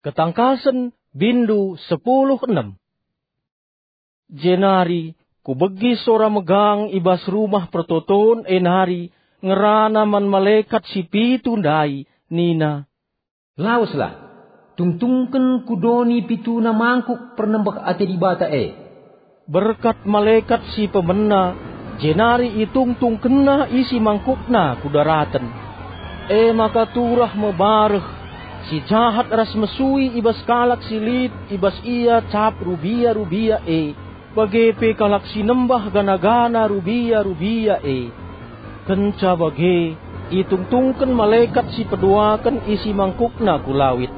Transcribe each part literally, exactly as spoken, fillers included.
Ketangkasen, bindu sepuluh enem. Jenari kubegi sora megang i bas rumah pertoton e nari ngerana man malekat si pitu ndai, nina, "Laweslah, tungtungken ku doni pituna mangkuk pernembeh ate Dibata e." Berkat malekat si pemena, jenari itungtungkenna isi mangkukna ku daraten. E maka turah me bareh, si jahat ras mesui i bas kalak si lit i bas ia cap rubia-rubia e, bage pe kalak si nembah gana-gana rubia-rubia e. Kenca bage, itungtungken malekat si peduaken isi mangkukna ku lawit.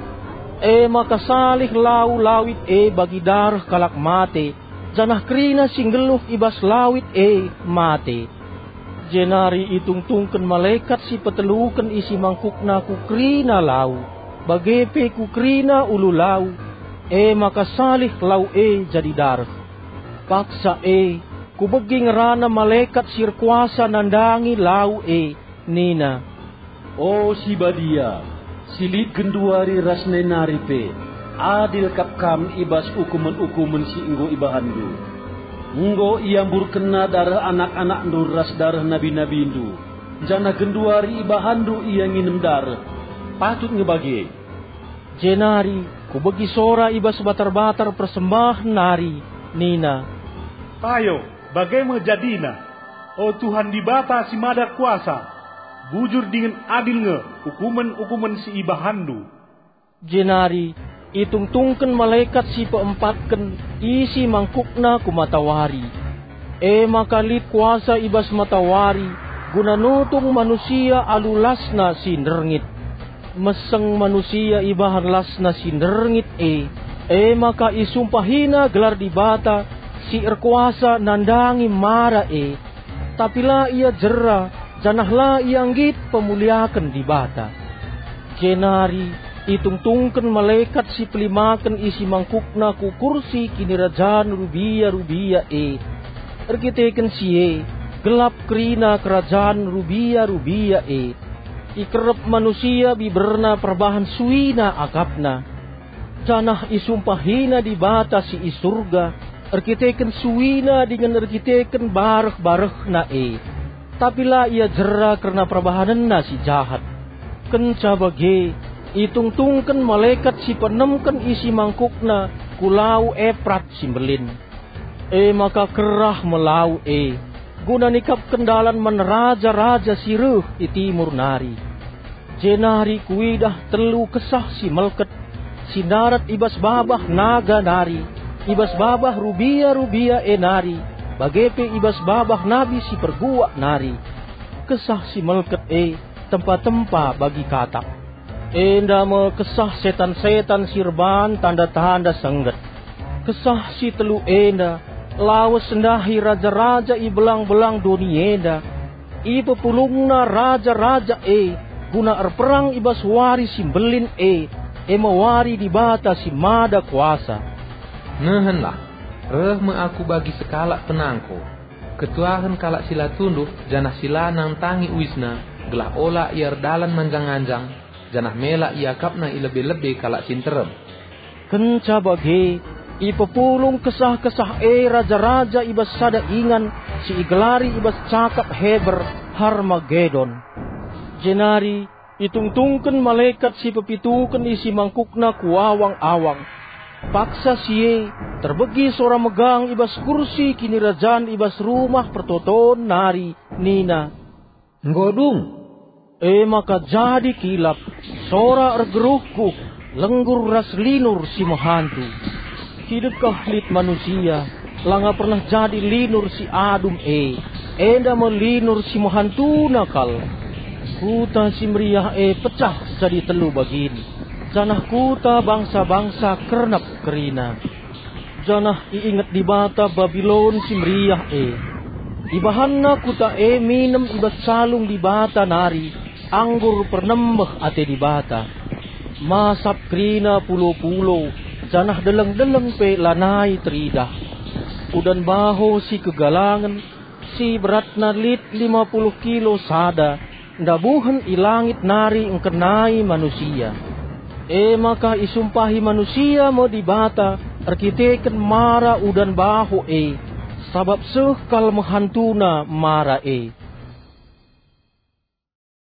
E maka salih lau lawit e bagi dareh kalak mate, janah kerina si nggeluh i bas lawit e mate. Jenari itungtungken malekat si peteluken isi mangkukna ku kerina lau, bage pe ku kerina ulu lau, e maka salih lau e jadi dareh. Paksa e, kubegi ngerana malekat si erkuasa nandangi lau e, nina, "O si Badia, si lit genduari ras nai nari pe, adil kap Kam i bas ukumen-ukumen si enggo ibahanndu. Enggo iamburkenna dareh anak-anakndu ras dareh nabi-nabindu, janah genduari ibahanndu ia nginem dareh. Patut nge bage." Jenari kubegi sora i bas batar-batar persembahen nari, nina, "Payo, bage me jadina, o Tuhan Dibata si Mada Kuasa, bujur dingen adil nge ukumen-ukumen si ibahanndu." Jenari itungtungken malekat si peempatken isi mangkukna ku matawari. E maka lit kuasa i bas matawari guna nutung manusia alu lasna si nderngit. Meseng manusia ibahan lasna si nderngit e, e maka isumpahina gelar Dibata si erkuasa nandangi mara e, tapi la ia jera, janah la ia nggit pemuliaken Dibata. Jenari itungtungken malekat si pelimaken isi mangkukna ku kursi kinirajan rubia-rubia e. Erkiteken si e, gelap kerina kerajan rubia-rubia e. Ikerep manusia biberna perbahan suina akapna. Janah isumpahina Dibata si i Surga erkiteken suina dingen erkiteken bareh-barehna e, tapi la ia jera kerna perbahanenna si jahat. Kenca bage, itungtungken malekat si peenemken isi mangkukna ku lau Eprat si mbelin. E maka kerah me lau e, guna nikapken dalan man raja-raja si reh i timur nari. Jenari kuidah telu kesah si melket, si ndarat i bas babah naga nari, i bas babah rubia-rubia e nari, bage pe i bas babah nabi si perguak nari. Kesah si melket e tempa-tempa bagi katak. Enda me kesah setan-setan si erban tanda-tanda sengget. Kesah si telu enda lawes ndahi raja-raja i belang-belang doni enda. Ipepulungna raja-raja e guna erperang i bas wari si mbelin e, e me wari Dibata si Mada Kuasa. Nehenlah, reh me aku bagi sekalak penangko. Ketuahen kalak si la tunduh janah si la nantangi uisna, gelah ola ia erdalan manjang-anjang, janah mela iakapna i lebe-lebe kalak si nterem. Kenca bage, ipepulung kesah-kesah e raja-raja i bas sada ingan si igelari i bas cakap Heber Harmagedon. Jenari itungtungken malekat si pepituken isi mangkukna ku awang-awang. Paksa si e, terbegi sora megang i bas kursi kinirajan i bas rumah pertoton nari, nina, "Enggo dung!" E maka jadi kilap, sora ergeruhguh, lenggur ras linur si mehantu. Kidekah lit manusia, langa pernah jadi linur si adum e, enda me linur si mehantuna kal. Kuta si meriah e pecah jadi telu bagin, janah kuta bangsa-bangsa kernep kerina. Janah iinget Dibata Babilon si meriah e. Ibahanna kuta e minem i bas calung Dibata nari anggur pernembeh ate Dibata. Masap kerina pulo-pulo, janah deleng-deleng pe lanai teridah. Udan baho si kegalangen, si beratna lit lima puluh kilo sada, ndabuhen i langit nari engkenai manusia. E maka isumpahi manusia me Dibata erkiteken mara udan baho e, sabap seh kal me hantuna mara e.